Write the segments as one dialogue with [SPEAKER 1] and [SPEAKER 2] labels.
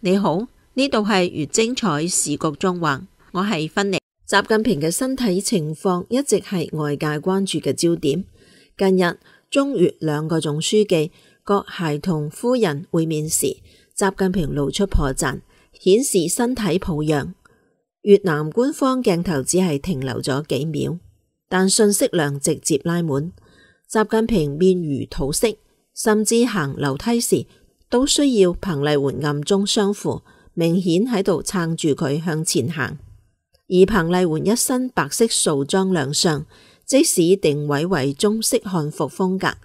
[SPEAKER 1] 你好，呢度係越精彩時局縱橫，我係芬妮。習近平嘅身體情況一直係外界關注嘅焦點。近日，中越兩個總書記各偕同夫人會面時，習近平露出破綻，顯示身體抱恙。越南官方鏡頭只係停留咗幾秒，但信息量直接拉滿。習近平面如土色，甚至行樓梯時都需要彭麗媛暗中相扶，明顯喺度撐住佢向前行。而彭麗媛一身白色素裝亮相，即使定位為中式漢服風格，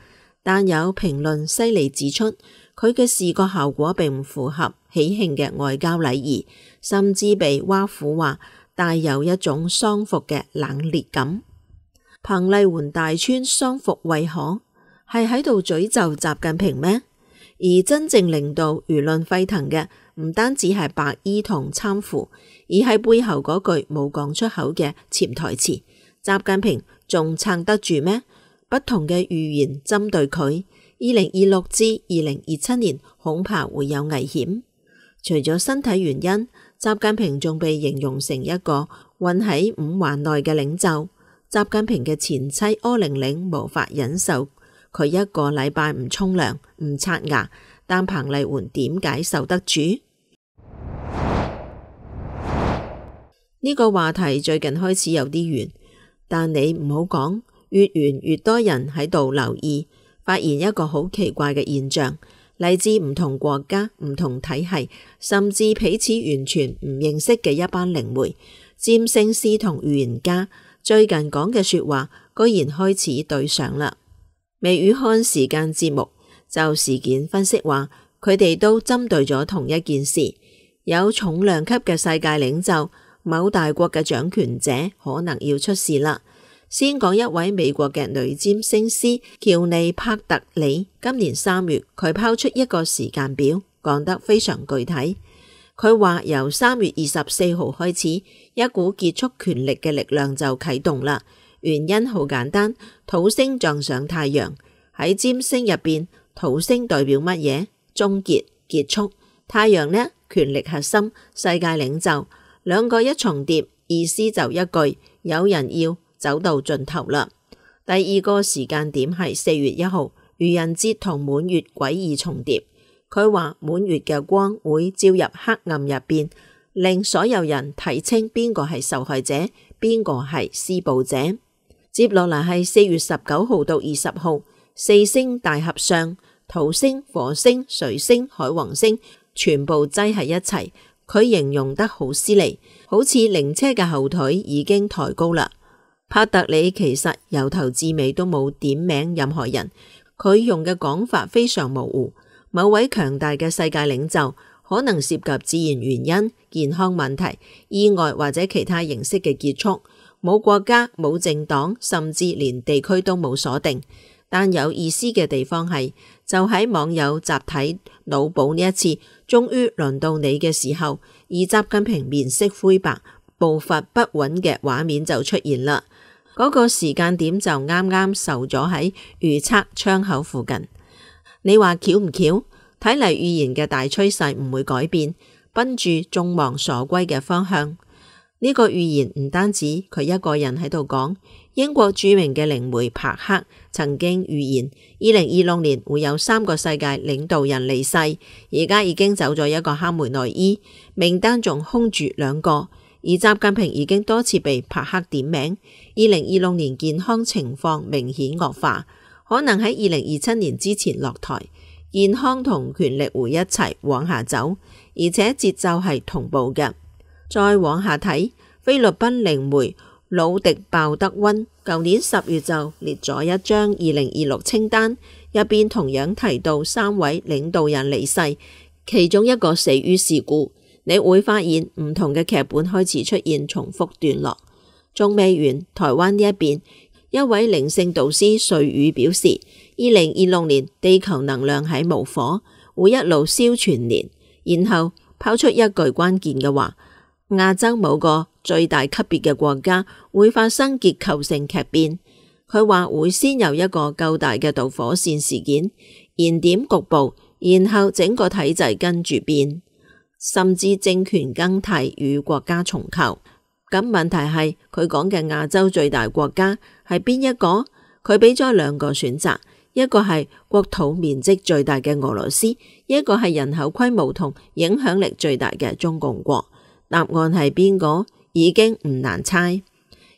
[SPEAKER 1] 但有評論犀利指出，佢嘅視覺效果並唔符合喜慶嘅外交禮儀，甚至被挖苦話帶有一種喪服嘅冷冽感。彭麗媛大穿喪服為何？係喺度詛咒習近平咩？而真正令到輿論沸騰嘅唔單止係白衣同攙扶，而係背後嗰句冇講出口嘅潛台詞：習近平仲撐得住咩？不同嘅預言針對佢，2026至2027年恐怕會有危險。除咗身體原因，習近平仲被形容成一個混喺五環內嘅領袖。習近平嘅前妻柯玲玲無法忍受佢一個禮拜唔沖涼唔刷牙，但彭麗媛點解受得住？呢個話題最近開始有啲遠，但你唔好講，越遠越多人喺度留意，發現一個好奇怪嘅現象，嚟自唔同國家、唔同體系，甚至彼此完全唔認識嘅一班靈媒、占星師同預言家，最近講嘅說話居然開始對上啦。微語看時間節目就事件分析話，佢哋都針對咗同一件事，有重量級嘅世界領袖，某大國嘅掌權者可能要出事啦。先講一位美國嘅女占星師喬尼帕特里，今年3月佢拋出一個時間表，講得非常具體。佢話由3月24號開始，一股結束權力嘅力量就啟動啦。原因好簡單，土星撞上太陽。喺占星入邊，土星代表乜嘢？終結、結束。太陽呢？權力核心、世界領袖。兩個一重疊，意思就一句：有人要走到盡頭啦。第二個時間點係4月1號，愚人節同滿月詭異重疊。佢話滿月嘅光會照入黑暗入邊，令所有人睇清邊個係受害者，邊個係施暴者。接落嚟係4月19號到20號，四星大合相，土星、火星、水星、海王星全部擠喺一齊。佢形容得好犀利，好似靈車嘅後腿已經抬高啦。帕特里其實由頭至尾都冇點名任何人，佢用嘅講法非常模糊。某位強大嘅世界領袖可能涉及自然原因、健康問題、意外或者其他形式嘅結束，冇國家、冇政黨，甚至連地區都冇鎖定。但有意思嘅地方係，就喺網友集體腦補呢一次，終於輪到你嘅時候，而習近平面色灰白、步伐不穩嘅畫面就出現啦。嗰個時間點就啱啱受咗喺預測窗口附近。你話巧唔巧？睇嚟預言嘅大趨勢唔會改變，奔住眾望所歸嘅方向。呢個預言唔單止佢一個人喺度講，英國著名嘅靈媒柏克曾經預言2026年會有3個世界領導人離世，而家已經走咗一個哈梅內伊，名單仲空住2個，而習近平已經多次被柏克點名。2026年健康情況明顯惡化，可能喺2027年之前落台。健康同權力會一齊往下走，而且節奏係同步嘅。再往下睇，菲律賓靈媒魯迪鮑德溫舊年10月就列咗一張2026清單，入邊同樣提到3位領導人離世，其中一個死於事故。你會發現唔同嘅劇本開始出現重複段落。仲未完，台灣呢一邊，一位靈性導師瑞宇表示，2026年地球能量喺無火，會一路燒全年，然後拋出一句關鍵嘅話：亞洲某個最大級別嘅國家會發生結構性劇變。佢話會先有一個夠大嘅導火線事件，燃點局部，然後整個體制跟住變。甚至政權更替與國家重構。咁問題係佢講嘅亞洲最大國家係邊一個？佢俾咗兩個選擇，一個係國土面積最大嘅俄羅斯，一個係人口規模同影響力最大嘅中共國。答案係邊個？已經唔難猜。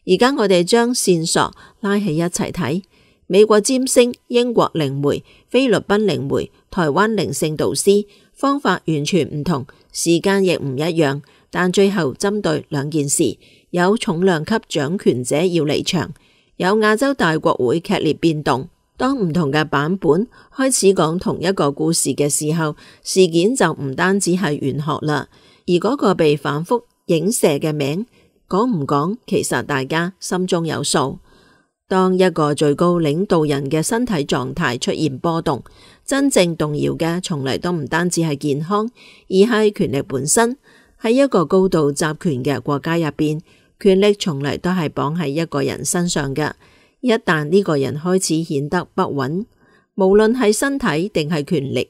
[SPEAKER 1] 而家我哋將線索拉起一齊睇，美國占星、英國靈媒、菲律賓靈媒、台灣靈性導師，方法完全唔同，時間亦唔一樣，但最後針對兩件事：有重量級掌權者要離場，有亞洲大國會劇烈變動。當唔同嘅版本開始講同一個故事嘅時候，事件就唔單止係玄學啦，而嗰個被反覆影射嘅名講唔講，其實大家心中有數。當一個最高領導人嘅身體狀態出現波動，真正動搖嘅從嚟都唔單止係健康，而係權力本身。喺一個高度集權嘅國家入邊，權力從嚟都係綁喺一個人身上嘅。一旦呢個人開始顯得不穩，無論係身體定係權力，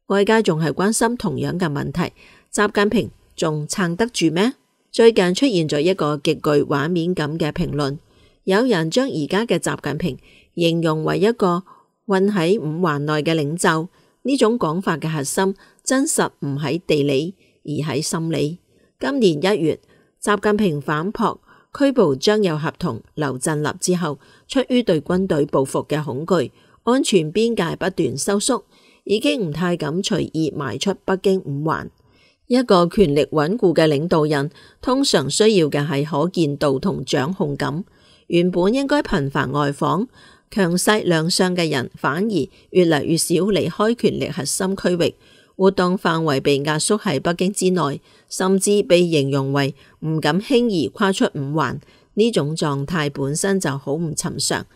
[SPEAKER 1] 外界仲係關心同樣嘅問題：習近平仲撐得住咩？最近出現咗一個極具畫面感嘅評論，有人將而家嘅習近平形容為一個混喺五環內嘅領袖。呢種講法嘅核心真實唔喺地理，而喺心理。今年1月，習近平反撲拘捕張又俠同劉振立之後，出於對軍隊報復嘅恐懼，安全邊界不斷收縮，已經唔太敢隨意邁出北京五環。一個權力穩固嘅領導人，通常需要嘅係可見度同掌控感。原本應該頻繁外訪、強勢亮相嘅人，反而越嚟越少離開權力核心區域，活動範圍被壓縮喺北京之內，甚至被形容為唔敢輕易跨出五環。呢種狀態本身就好唔尋常。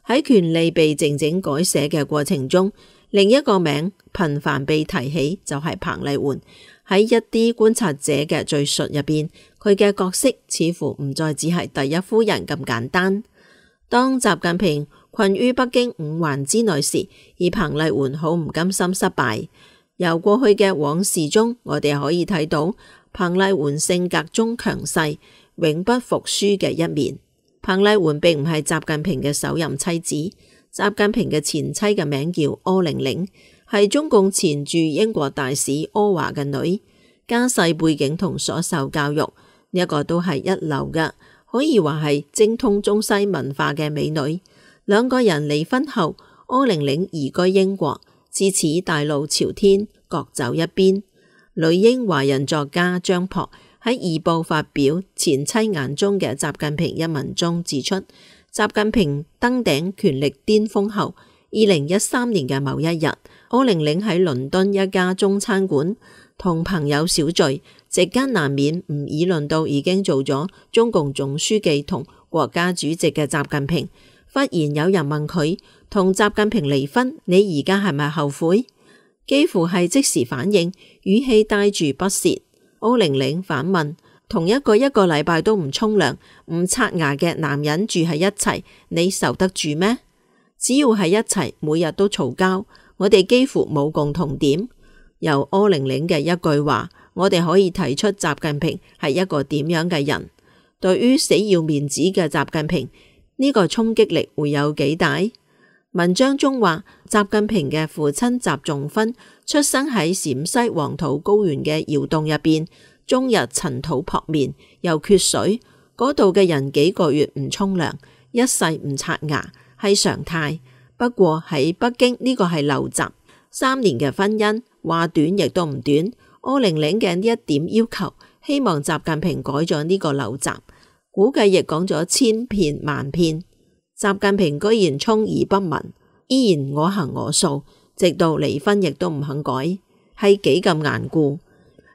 [SPEAKER 1] 喺權力被靜靜改寫嘅過程中，另一個名頻繁被提起就係彭麗媛。喺一啲觀察者嘅敘述入邊，佢嘅角色似乎唔再只係第一夫人咁簡單。當習近平困於北京五環之內時，而彭麗媛好唔甘心失敗。由過去嘅往事中，我哋可以睇到彭麗媛性格中強勢、永不服輸嘅一面。彭麗媛並唔係習近平嘅首任妻子，習近平嘅前妻嘅名叫柯玲玲，係中共前駐英國大使柯華嘅女，家世背景同所受教育呢一個都係一流嘅，可以話係精通中西文化嘅美女。兩個人離婚後，柯玲玲移居英國，自此大路朝天，各走一邊。女英華人作家張樸喺《二報》發表前妻眼中嘅習近平一文中指出，習近平登頂權力巔峰後，2013年嘅某一日，柯玲玲喺倫敦一家中餐館同朋友小聚，席間難免唔議論到已經做咗中共總書記同國家主席嘅習近平。忽然有人問佢，同習近平離婚，你而家係咪後悔？幾乎係即時反應，語氣帶住不屑。柯玲玲反問，同一個禮拜都唔沖涼、唔刷牙嘅男人住喺一齊，你受得住咩？只要喺一齊，每日都嘈交，我哋幾乎冇共同點。由柯玲玲嘅一句話，我哋可以睇出習近平係一個點樣嘅人。對於死要面子嘅習近平，呢個衝擊力會有幾大？文章中話，習近平嘅父親習仲勳出生喺陝西黃土高原嘅窯洞入邊，終日塵土撲面，又缺水，嗰度嘅人幾個月唔沖涼，一世唔刷牙，係常態。不過喺北京呢個係陋習。3年嘅婚姻，話短亦都唔短。柯玲玲嘅呢一點要求，希望習近平改咗呢個陋習，估計亦講咗千遍萬遍。習近平居然充耳不聞，依然我行我素，直到離婚亦都唔肯改，係幾咁頑固，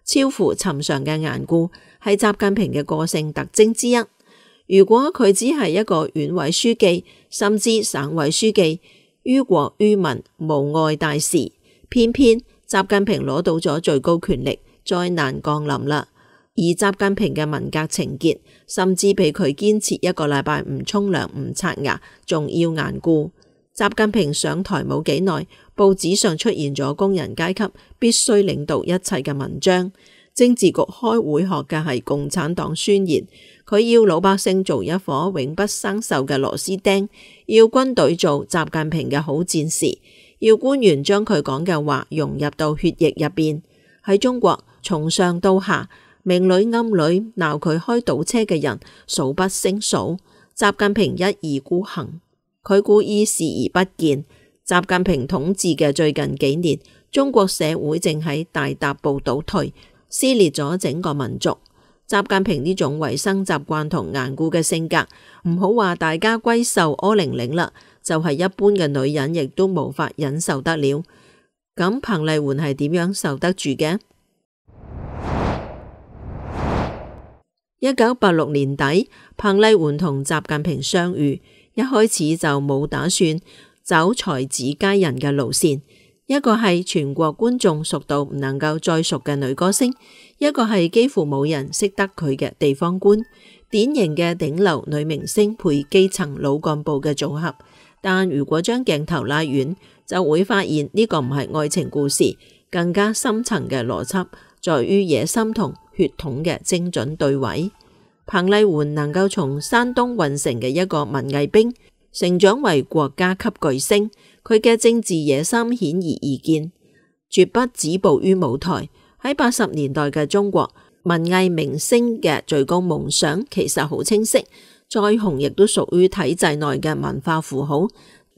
[SPEAKER 1] 超乎尋常嘅頑固，係習近平嘅個性特徵之一。如果佢只係一個縣委書記，甚至省委書記，於國於民無礙大事，偏偏習近平攞到咗最高權力，災難降臨啦。而習近平嘅文革情結，甚至比佢堅持一個禮拜唔沖涼唔刷牙仲要頑固。習近平上台冇幾耐，報紙上出現咗工人階級必須領導一切嘅文章，政治局開會學嘅係共產黨宣言，佢要老百姓做一顆永不生鏽嘅螺絲釘，要軍隊做習近平嘅好戰士，要官員將佢講嘅話融入到血液入邊。喺中國，從上到下，明裏暗裏鬧佢開倒車嘅人數不勝數。習近平一意孤行，佢故意視而不見。習近平統治嘅最近幾年，中國社會正喺大踏步倒退，撕裂咗整個民族。習近平呢種維生習慣同頑固嘅性格，唔好話大家閨秀柯玲玲啦，就係一般嘅女人亦都無法忍受得了。咁彭麗媛係點樣受得住嘅？1986年底，彭麗媛同習近平相遇，一開始就冇打算走才子佳人嘅路線，一個係全國觀眾熟到唔能夠再熟嘅女歌星，一個係幾乎冇人識得佢嘅地方官，典型嘅頂流女明星配基層老幹部嘅組合。但如果將鏡頭拉遠，就會發現呢個唔係愛情故事，更加深層嘅邏輯在於野心同血統嘅精準對位。彭麗媛能夠從山東運城嘅一個文藝兵成長為國家級巨星，佢嘅政治野心顯而易見，絕不止步於舞台。喺80年代嘅中國，文藝明星嘅最高夢想其實好清晰，再紅亦都屬於體制內嘅文化符號。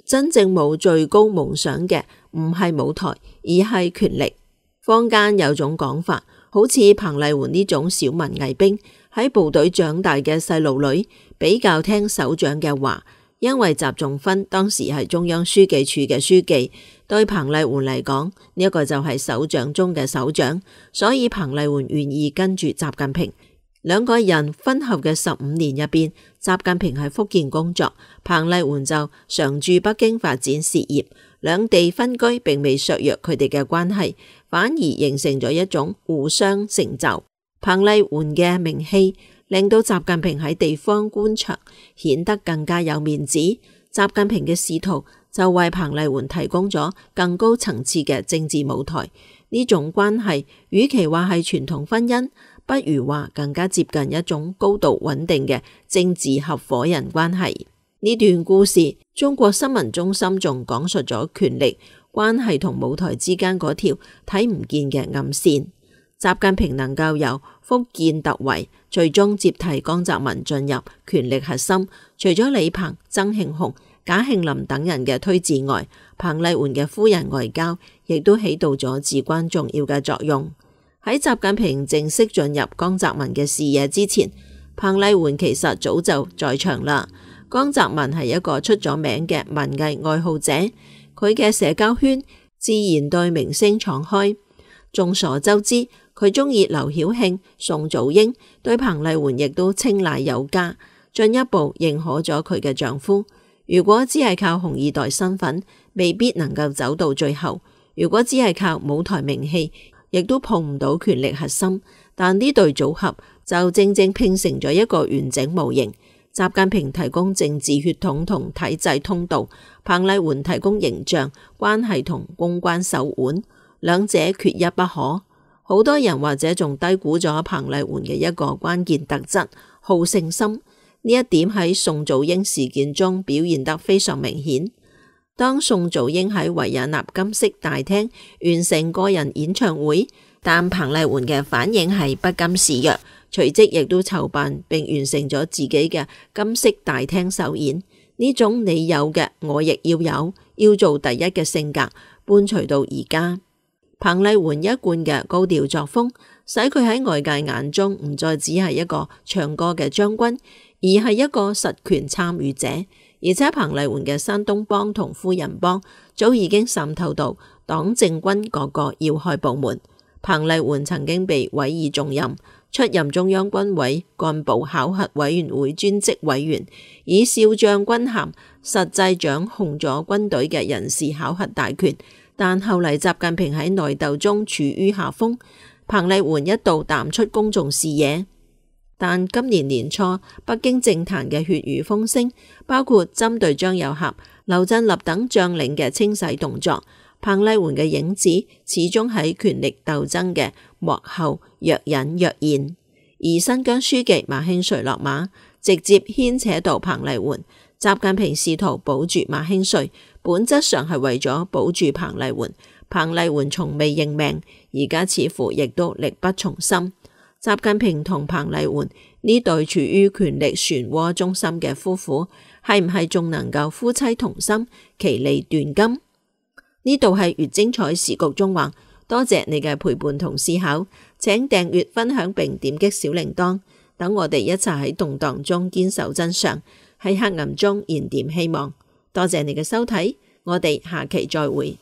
[SPEAKER 1] 真正冇最高夢想嘅唔係舞台，而係權力。坊間有種講法，好似彭麗媛呢種小文藝兵喺部隊長大嘅細路女，比較聽首長嘅話，因為習仲勳當時係中央書記處嘅書記，對彭麗媛嚟講，呢一個就係首長中嘅首長，所以彭麗媛願意跟住習近平。兩個人婚後嘅15年入邊，習近平喺福建工作，彭麗媛就常駐北京發展事業，兩地分居並未削弱佢哋嘅關係，反而形成咗一種互相成就。彭麗媛嘅名氣令到習近平喺地方官場顯得更加有面子，習近平嘅仕途就為彭麗媛提供咗更高層次嘅政治舞台。呢種關係與其話係傳統婚姻，不如話更加接近一種高度穩定嘅政治合伙人關係。呢段故事，中國新聞中心仲講述咗權力關係同舞台之間嗰條睇唔見嘅暗線。習近平能夠由福建突圍，最終接替江澤民進入權力核心，除咗李鵬、曾慶紅、賈慶林等人嘅推薦外，彭麗媛嘅夫人外交亦都起到咗至關重要嘅作用。喺習近平正式進入江澤民嘅視野之前，彭麗媛其實早就在場啦。江澤民係一個出咗名嘅文藝愛好者，佢嘅社交圈自然對明星敞開。眾所周知，佢中意劉曉慶、宋祖英，對彭麗媛亦都青睞有加，進一步認可咗佢嘅丈夫。如果只係靠紅二代身份，未必能夠走到最後；如果只係靠舞台名氣，亦都碰唔到權力核心。但呢對組合就正正拼成咗一個完整模型。習近平提供政治血統同體制通道，彭麗媛提供形象、關係同公關手腕，兩者缺一不可。好多人或者仲低估咗彭麗媛嘅一個關鍵特質——好勝心。呢一點喺宋祖英事件中表現得非常明顯。當宋祖英喺維也納金色大廳完成個人演唱會，但彭麗媛嘅反應係不甘示弱，隨即亦都籌辦並完成咗自己嘅金色大廳首演。呢種你有嘅我亦要有，要做第一嘅性格伴隨到而家。彭麗媛一貫嘅高調作風，使佢喺外界眼中唔再只係一個唱歌嘅將軍，而係一個實權參與者。而且彭麗媛嘅山東幫同夫人幫早已經滲透到黨政軍各個要害部門。彭麗媛曾經被委以重任，出任中央軍委幹部考核委員會專職委員，以少將軍銜實際掌控咗軍隊嘅人事考核大權。但後嚟習近平喺內鬥中處於下風，彭麗媛一度淡出公眾視野。但今年年初，北京政壇嘅血雨風聲，包括針對張又俠、劉振立等將領嘅清洗動作，彭麗媛嘅影子始終喺權力鬥爭嘅幕後若隱若現。而新疆書記馬興瑞落馬，直接牽扯到彭麗媛。習近平試圖保住馬興瑞，本質上係為咗保住彭麗媛。彭麗媛從未認命，而家似乎亦都力不從心。習近平同彭麗媛呢對處於權力漩渦中心嘅夫婦，係唔係仲能夠夫妻同心，其利斷金？呢度係越精彩時局縱橫，多謝你嘅陪伴同思考，請訂閱、分享並點擊小鈴鐺，等我哋一齊喺動盪中堅守真相，喺黑暗中燃點希望。多謝你嘅收睇，我哋下期再會。